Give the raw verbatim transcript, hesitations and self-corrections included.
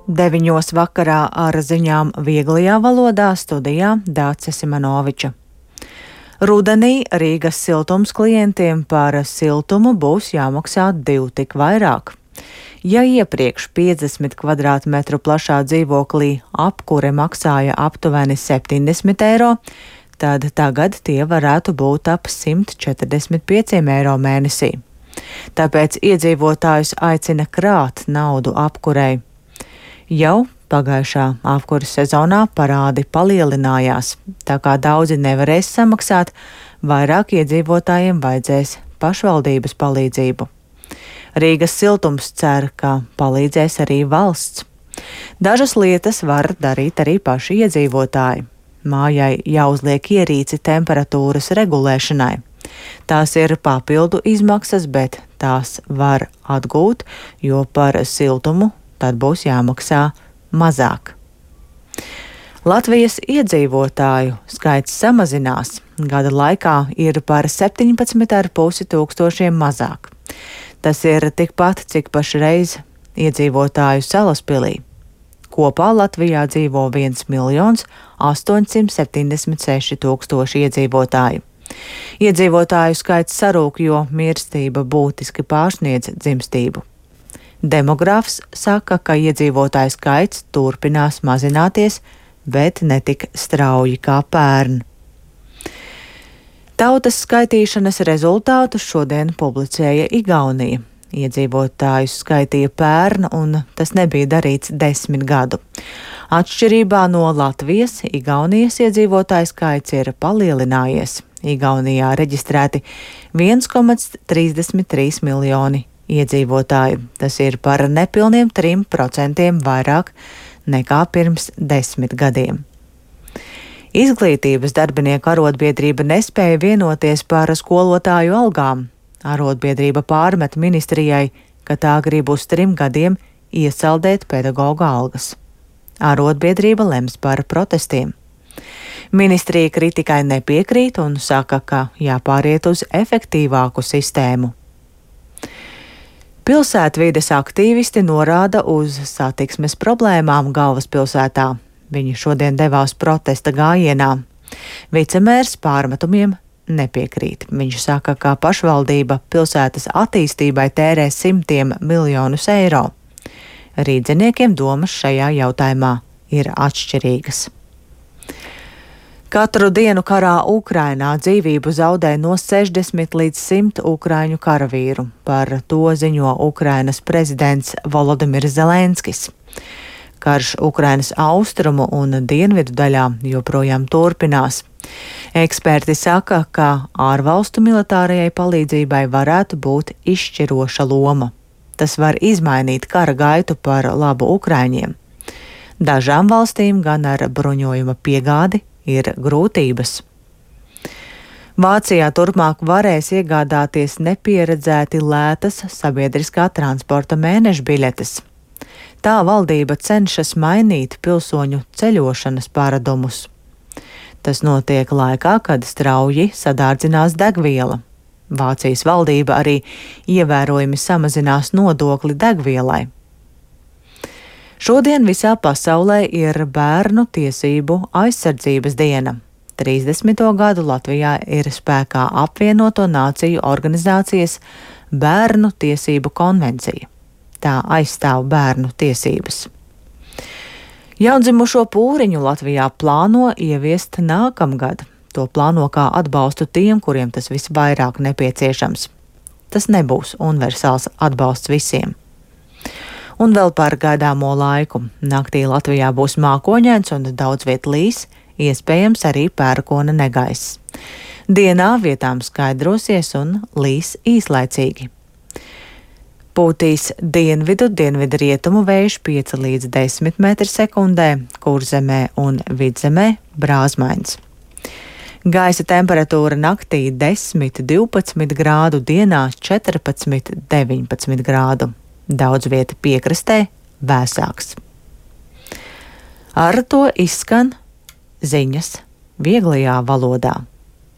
Deviņos vakarā ar ziņām vieglajā valodā studijā Dāce Simanoviča. Rudenī Rīgas siltums klientiem par siltumu būs jāmaksā divu tik vairāk. Ja iepriekš piecdesmit kvadrātmetru plašā dzīvoklī apkure maksāja aptuveni septiņdesmit eiro, tad tagad tie varētu būt ap simt četrdesmit pieciem eiro mēnesī. Tāpēc iedzīvotājus aicina krāt naudu apkurei. Jau pagājušā apkuras sezonā parādi palielinājās, tā kā daudzi nevarēs samaksāt, vairāk iedzīvotājiem vajadzēs pašvaldības palīdzību. Rīgas siltums cer, ka palīdzēs arī valsts. Dažas lietas var darīt arī paši iedzīvotāji. Mājai jāuzliek ierīci temperatūras regulēšanai. Tās ir papildu izmaksas, bet tās var atgūt, jo par siltumu tad būs jāmaksā mazāk. Latvijas iedzīvotāju skaits samazinās. Gada laikā ir par septiņpadsmit ar pusi tūkstošiem mazāk. Tas ir tikpat, cik pašreiz iedzīvotāju Salaspilī. Kopā Latvijā dzīvo viens miljons astoņsimt septiņdesmit seši tūkstoši iedzīvotāju. Iedzīvotāju skaits sarūk, jo mirstība būtiski pārsniedz dzimstību. Demogrāfs saka, ka iedzīvotāju skaits turpinās mazināties, bet ne tik strauji kā pērn. Tautas skaitīšanas rezultātus šodien publicēja Igaunija. Iedzīvotājus skaitīja pērn, un tas nebija darīts desmit gadu. Atšķirībā no Latvijas, Igaunijas iedzīvotāju skaits ir palielinājies. Igaunijā reģistrēti viens komats trīsdesmit trīs miljoni iedzīvotāju. Tas ir par nepilniem trim procentiem vairāk nekā pirms desmit gadiem. Izglītības darbinieku arotbiedrība nespēja vienoties par skolotāju algām. Arotbiedrība pārmet ministrijai, ka tā grib uz trim gadiem iesaldēt pedagoģa algas. Arotbiedrība lems par protestiem. Ministrija kritikai nepiekrīt un saka, ka jāpāriet uz efektīvāku sistēmu. Pilsētvides aktīvisti norāda uz satiksmes problēmām galvaspilsētā. Viņi šodien devās protesta gājienā. Vicemērs pārmetumiem nepiekrīt. Viņš saka, ka pašvaldība pilsētas attīstībai tērē simtiem miljonus eiro. Rīdziniekiem domas šajā jautājumā ir atšķirīgas. Katru dienu karā Ukrainā dzīvību zaudē no sešdesmit līdz simt ukraiņu karavīru. Par to ziņo Ukrainas prezidents Volodimirs Zelenskis. Karš Ukrainas austrumu un dienvidu daļā joprojām turpinās. Eksperti saka, ka ārvalstu militārajai palīdzībai varētu būt izšķiroša loma. Tas var izmainīt kara gaitu par labu ukraiņiem. Dažām valstīm gan ar bruņojuma piegādi ir grūtības. Vācijā turpmāk varēs iegādāties nepieredzēti lētas sabiedriskā transporta mēneša biļetes. Tā valdība cenšas mainīt pilsoņu ceļošanas paradumus. Tas notiek laikā, kad strauji sadārdzinās degviela. Vācijas valdība arī ievērojami samazinās nodokli degvielai. Šodien visā pasaulē ir bērnu tiesību aizsardzības diena. trīsdesmito gadu Latvijā ir spēkā apvienoto nāciju organizācijas Bērnu tiesību konvencija. Tā aizstāv bērnu tiesības. Jaundzimušo pūriņu Latvijā plāno ieviest nākamgad. To plāno kā atbalstu tiem, kuriem tas visvairāk nepieciešams. Tas nebūs universāls atbalsts visiem. Un vēl par gaidāmo laiku. Naktī Latvijā būs mākoņains un daudz viet līs, iespējams arī pērkona negaiss. Dienā vietām skaidrosies un līs īslaicīgi. Pūtīs dienvidu, dienvidu rietumu vējš pieci līdz desmit metri sekundē, Kurzemē un Vidzemē brāzmains. Gaisa temperatūra naktī desmit līdz divpadsmit grādu, dienā četrpadsmit līdz deviņpadsmit grādu. Daudz vieta piekrastē vēsāks. Ar to izskan ziņas vieglajā valodā.